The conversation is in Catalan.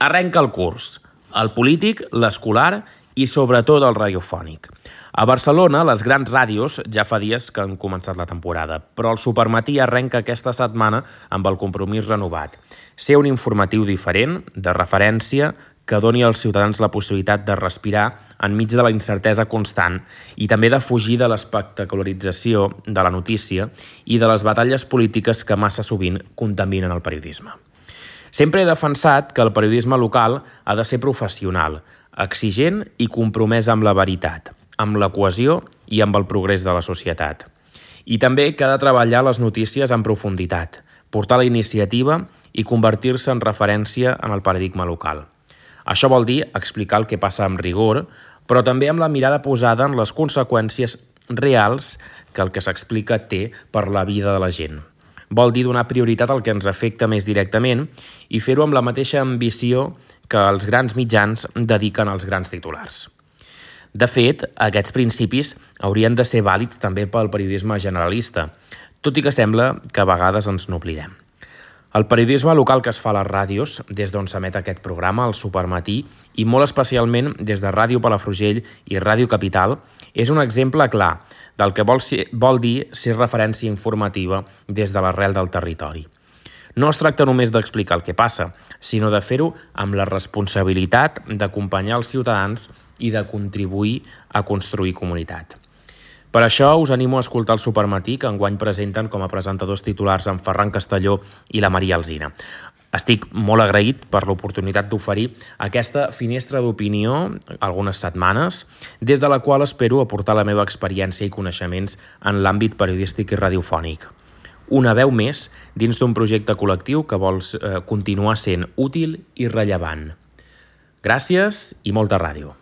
Arrenca el curs, el polític, l'escolar i sobretot el radiofònic. A Barcelona, les grans ràdios ja fa dies que han començat la temporada, però el Supermatí arrenca aquesta setmana amb el compromís renovat. Ser un informatiu diferent, de referència, que doni als ciutadans la possibilitat de respirar enmig de la incertesa constant i també de fugir de l'espectacularització de la notícia i de les batalles polítiques que massa sovint contaminen el periodisme. Sempre he defensat que el periodisme local ha de ser professional, exigent i compromès amb la veritat, amb la cohesió i amb el progrés de la societat. I també que ha de treballar les notícies en profunditat, portar la iniciativa i convertir-se en referència en el paradigma local. Això vol dir explicar el que passa amb rigor, però també amb la mirada posada en les conseqüències reals que el que s'explica té per la vida de la gent. Vol dir donar prioritat al que ens afecta més directament i fer-ho amb la mateixa ambició que els grans mitjans dediquen als grans titulars. De fet, aquests principis haurien de ser vàlids també pel periodisme generalista, tot i que sembla que a vegades ens n'oblidem. El periodisme local que es fa a les ràdios, des d'on s'emet aquest programa, el Supermatí, i molt especialment des de Ràdio Palafrugell i Ràdio Capital, és un exemple clar del que vol dir ser referència informativa des de l'arrel del territori. No es tracta només d'explicar el que passa, sinó de fer-ho amb la responsabilitat d'acompanyar els ciutadans i de contribuir a construir comunitat. Per això us animo a escoltar el Supermatí, que enguany presenten com a presentadors titulars en Ferran Castelló i la Maria Alsina. Estic molt agraït per l'oportunitat d'oferir aquesta finestra d'opinió algunes setmanes, des de la qual espero aportar la meva experiència i coneixements en l'àmbit periodístic i radiofònic. Una veu més dins d'un projecte col·lectiu que vol continuar sent útil i rellevant. Gràcies i molta ràdio.